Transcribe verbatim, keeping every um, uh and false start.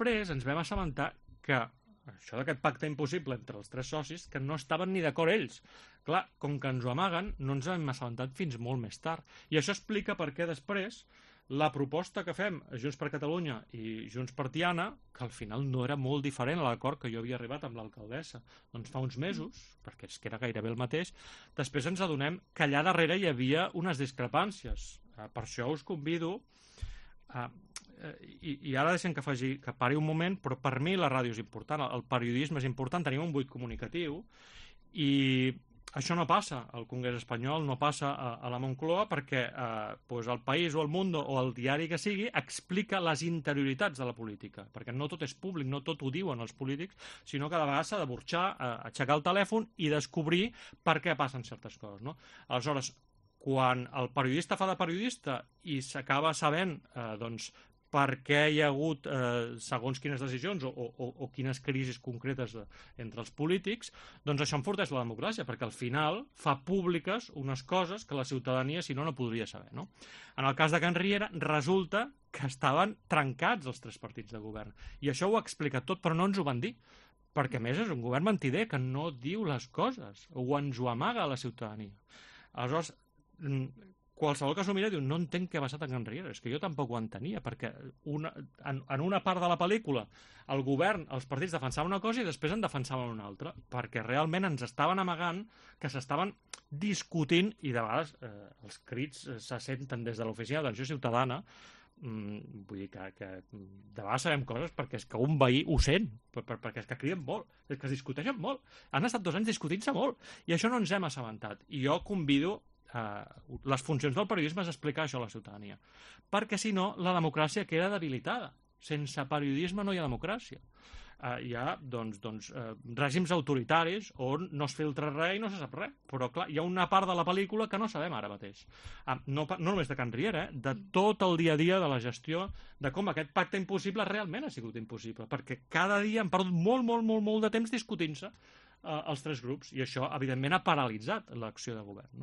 després ens vam assabentar que això d'aquest pacte impossible entre els tres socis, que no estaven ni d'acord ells. Clar, com que ens ho amaguen, no ens hem assabentat fins molt més tard. I això explica per què després la proposta que fem Junts per Catalunya i Junts per Tiana, que al final no era molt diferent a l'acord que jo havia arribat amb l'alcaldessa, doncs fa uns mesos, perquè és que era gairebé el mateix, després ens adonem que allà darrere hi havia unes discrepàncies. Per això us convido a... I, i ara deixem que faci, que pari un moment, però per mi la ràdio és important, el periodisme és important, tenim un buit comunicatiu i això no passa al Congrés espanyol, no passa a, a la Moncloa perquè eh, pues el País o el Mundo o el diari que sigui explica les interioritats de la política, perquè no tot és públic, no tot ho diuen els polítics, sinó que de vegades s'ha de burxar, eh, aixecar el telèfon i descobrir per què passen certes coses, no? Aleshores, quan el periodista fa de periodista i s'acaba sabent eh, doncs, per què hi ha hagut eh, segons quines decisions o, o, o quines crisis concretes de, entre els polítics, doncs això enforteix la democràcia, perquè al final fa públiques unes coses que la ciutadania, si no, no podria saber, no? En el cas de Can Riera, resulta que estaven trencats els tres partits de govern. I això ho ha explicat tot, però no ens ho van dir, perquè a més és un govern mentider que no diu les coses, o ens ho amaga a la ciutadania. Aleshores, qualsevol que s'ho mira diu, no entenc què ha passat a Can Riera, és que jo tampoc ho entenia, perquè una, en, en una part de la pel·lícula el govern, els partits defensaven una cosa i després en defensaven una altra, perquè realment ens estaven amagant que s'estaven discutint i de vegades eh, els crits eh, se senten des de l'oficina d'atenció ciutadana, mm, vull dir que, que de vegades sabem coses perquè és que un veí ho sent, per, per, perquè és que criden molt, és que es discuteixen molt, han estat dos anys discutint-se molt i això no ens hem assabentat, i jo convido Uh, les funcions del periodisme és explicar això a la ciutadania, perquè si no la democràcia queda debilitada. Sense periodisme no hi ha democràcia. Uh, hi ha doncs, doncs, uh, règims autoritaris on no es filtra res i no se sap res, però clar, hi ha una part de la pel·lícula que no sabem ara mateix, uh, no, no només de Can Riera, eh? De tot el dia a dia de la gestió, de com aquest pacte impossible realment ha sigut impossible, perquè cada dia han perdut molt, molt, molt, molt de temps discutint-se uh, els tres grups, i això evidentment ha paralitzat l'acció de govern, no?